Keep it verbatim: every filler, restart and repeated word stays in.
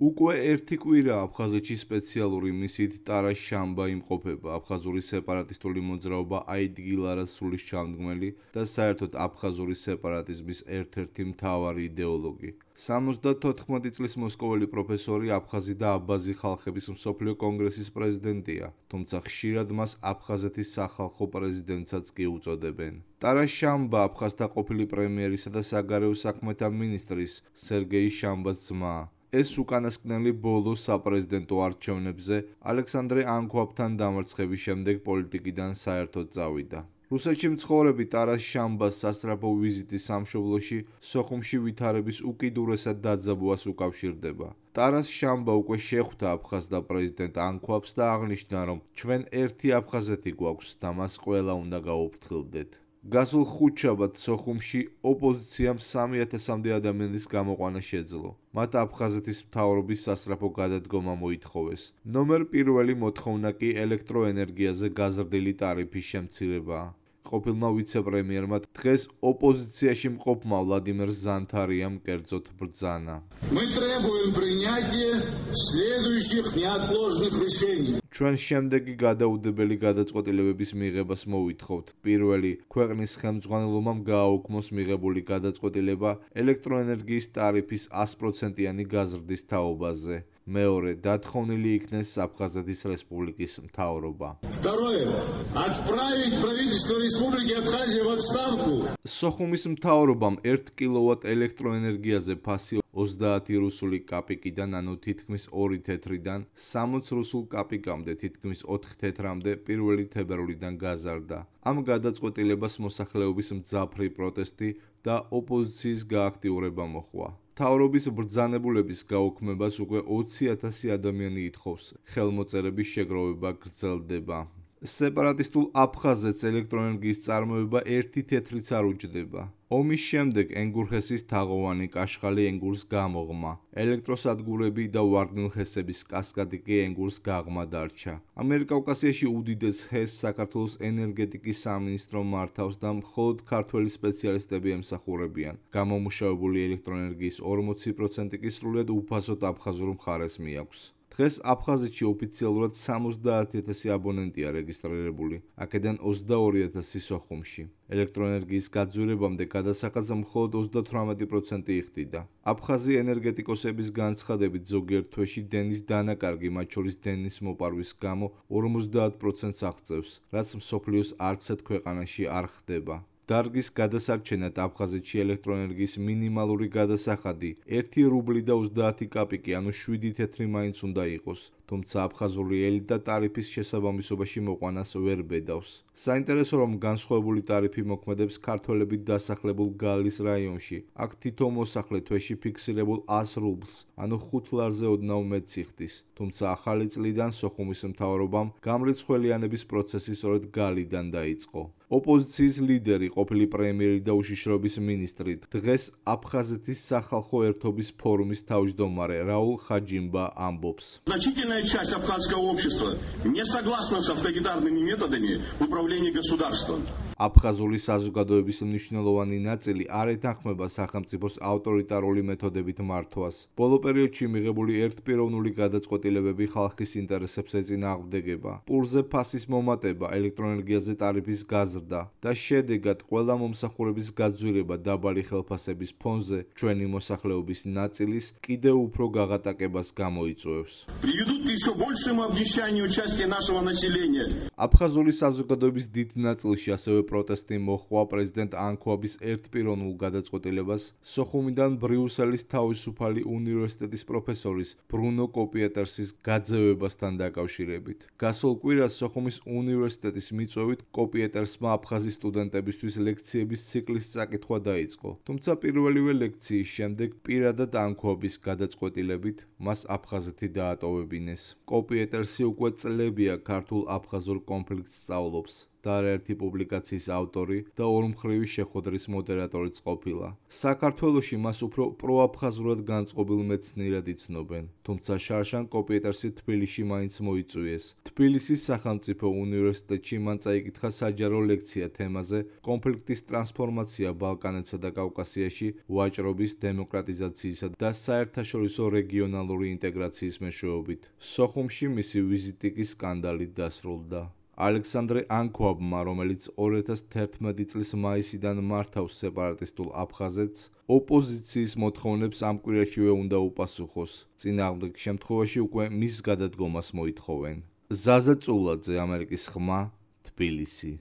უკვე ერთი კვირა აფხაზეთში სპეციალური მისიით ტარას შამბა იმყოფება, აფხაზური სეპარატისტული მოძრაობა აიდგილარას სულის ჩამდგმელი და საერთოდ აფხაზური სეპარატიზმის ერთ-ერთი მთავარი იდეოლოგი. სამოცდათოთხმეტი წლის მოსკოველი პროფესორი აფხაზი და აბაზი ხალხების მსოფლიო კონგრესის პრეზიდენტია, თუმცა ხშირად მას აფხაზეთის სახალხო პრეზიდენტსაც კი უწოდებენ. ტარას შამბა აფხაზთა ყოფილი პრემიერისა და საგარეო საქმეთა მინისტრის სერგეი შამბას ძმაა. ეს უკანასკნელი ბოლო საპრეზიდენტო არჩევნებზე ალექსანდრე ანქვაბთან დამარცხების შემდეგ პოლიტიკიდან საერთოდ წავიდა. რუსეთში მცხოვრები ტარას შამბას სასწრაფო ვიზიტი სამშობლოში სოხუმში ვითარების უკიდურესად დაძაბვას უკავშირდება. ტარას შამბა უკვე შეხვდა აფხაზთა პრეზიდენტ ანქვაბს და აღნიშნა, რომ ჩვენ ერთი აფხაზეთი გვაქვს და მას ყველა უნდა გაუფრთხილდეთ. გასულ ხუთშაბათს სოხუმში ოპოზიციამ სამი ათასამდე ადამიანის გამოყვანა შეძლო. მათ აფხაზეთის მთავრობის სასწრაფო გადადგომა მოითხოვეს. ნომერ პირველი მოთხოვნა კი ელექტროენერგიაზე გაზრდილი ტარიფის შემცირებაა. ყოფილმა ვიცე-პრემიერმა დღეს ოპოზიციაში მყოფმა ვლადიმერ ზანთარიამ კერძოდ ბრძანა. Мы требуем принятия следующих неотложных решений. ჩვენ შემდეგი გადაუდებელი გადაწყვეტილებების მიღებას მოვითხოვთ. პირველი, ქვეყნის ხელმძღვანელობამ გააუქმოს მიღებული გადაწყვეტილება ელექტროენერგიის ტარიფის ას პროცენტიანი გაზრდის თაობაზე. მეორე, დათხოვნილი იქნეს აფხაზეთის რესპუბლიკის მთავრობა. Второе. Отправить правительство Республики Абхазия в отставку. სოხუმის მთავრობამ ერთ კილოვატ ელექტროენერგიაზე ფასი ოცდაათი რუსული კაპიკიდან, ანუ თითქმის ორი თეთრიდან, სამოც რუსულ კაპიკამდე, თითქმის ოთხ თეთრამდე პირველი თებერვლიდან გაზარდა. ამ გადაწყვეტილებას მოსახლეობის მძაფრი პროტესტი და ოპოზიციის გააქტიურება მოჰყვა. მთავრობის ბრძანებულების გაუქმებას უკვე ოცი ათასი ადამიანი ითხოვს. ხელმოწერების შეგროვება გრძელდება. სეპარატისტულ აფხაზეთს ელექტროენერგიის წარმოება ერთი თეთრიც არ უჯდება. ომის შემდეგ ენგურხესის თაღოვანი კაშხალი ენგურს გამოღმა. ელექტროსადგურები და ვარდნილ-ჰესების კასკადი კი ენგურს გაღმა დარჩა. ამიერკავკასიაში უდიდეს ჰესს საქართველოს ენერგეტიკის სამინისტრო მართავს და მხოლოდ ქართველი სპეციალისტები ემსახურებიან. გამომუშავებული ელექტროენერგიის ორმოცი პროცენტი კი სრულიად უფასოდ აფხაზურ მხარეს მიაქვს. დღეს აფხაზეთში ოფიციალურად სამოცდაათი ათასი აბონენტია რეგისტრირებული, აქედან ოცდაორი ათასი სოხუმში. ელექტროენერგიის გაძვირებამდე გადასახადს მხოლოდ ოცდათვრამეტი პროცენტი იხდიდა. აფხაზი ენერგეტიკოსების განცხადებით ზოგიერთ თვეში დენის დანაკარგი, მათ შორის დენის მოპარვის გამო ორმოცდაათ პროცენტს აღწევს, რაც მსოფლიოს არც ერთ ქვეყანაში არ ხდება. დარგის გადასარჩენად აფხაზეთში ელექტროენერგიის მინიმალური გადასახადი ერთი რუბლი და ოცდაათი კაპიკი, ანუ შვიდი თეთრი მაინც უნდა იყოს. თუმცა აფხაზური ელიტა ტარიფის შესაბამისობაში მოყვანას ვერ ბედავს. საინტერესო, რომ განსხვავებული ტარიფი მოქმედებს ქართველებით დასახლებულ გალის რაიონში. აქ თითო მოსახლე თვეში ფიქსირებულ ას რუბლს, ანუ ხუთ ლარზე ოდნავ მეტს იხდის. თუმცა ახალი წლიდან სოხუმის მთავრობამ გამრიცხველიანების პროცესი სწორედ გალიდან დაიწყო. ოპოზიციის ლიდერი, ყოფილი პრემიერი და უშიშროების მინისტრი, დღეს აფხაზეთის სახალხო ერთობის ფორუმის თავმჯდომარე რაულ ხაჯიმბა ამბობს. Часть абхазского общества не согласна с авторитарными методами управления государством. აფხაზური საზოგადოების მნიშვნელოვანი ნაწილი არ ეთანხმება სახელმწიფოს ავტორიტარული მეთოდებით მართვას. ბოლო პერიოდში მიღებული ერთპიროვნული გადაწყვეტილებები ხალხის ინტერესებს ეწინააღმდეგება. პურზე ფასის მომატება, ელექტროენერგიაზე ტარიფის გაზრდა და შედეგად ყველა მომსახურების გაძვირება დაბალი ხელფასების ფონზე ჩვენი მოსახლეობის ნაწილის კიდევ უფრო გაღატაკებას გამოიწვევს. აფხაზური საზოგადოების დიდ ნაწილში ასევე პროტესტი მოჰყვა პრეზიდენტ ანქვაბის ერთპიროვნულ გადაწყვეტილებას სოხუმიდან ბრიუსელის თავისუფალი უნივერსიტეტის პროფესორის ბრუნო კოპიეტერსის გაძევებასთან დაკავშირებით. გასულ კვირას სოხუმის უნივერსიტეტის მიწვევით კოპიეტერსმა აფხაზი სტუდენტებისთვის ლექციების ციკლის წაკითხვა დაიწყო. თუმცა პირველივე ლექციის შემდეგ პირადად ანქვაბის გადაწყვეტილებით მას აფხაზეთი დაატოვებინეს. კოპიეტერსი უკვე წლებია ქართულ-აფხაზურ კონფლიქტს სწავლობს. და არაერთი პუბლიკაციის ავტორი და ორმხრივი შეხვედრის მოდერატორიც ყოფილა. საქართველოში მას უფრო პროაფხაზურად განწყობილ მეცნიერად იცნობენ, თუმცა შარშან კოპიეტერსი თბილისში მაინც მოიწვიეს. თბილისის სახელმწიფო უნივერსიტეტში მან წაიკითხა საჯარო ლექცია თემაზე კონფლიქტის ტრანსფორმაცია ბალკანეთსა და კავკასიაში ვაჭრობის, დემოკრატიზაციისა და საერთაშორისო რეგიონალური ინტეგრაციის მეშვეობით. სოხუმში მისი ვიზიტი კი სკანდალით დასრულდა. ალექსანდრე ანქვაბმა, რომელიც ორი ათას თერთმეტი წლის მაისიდან მართავს სეპარატისტულ აფხაზეთს, ოპოზიციის მოთხოვნებს ამ კვირაშივე უნდა უპასუხოს. წინააღმდეგ შემთხვევაში უკვე მის გადადგომას მოითხოვენ. ზაზა წულაძე, ამერიკის ხმა, თბილისი.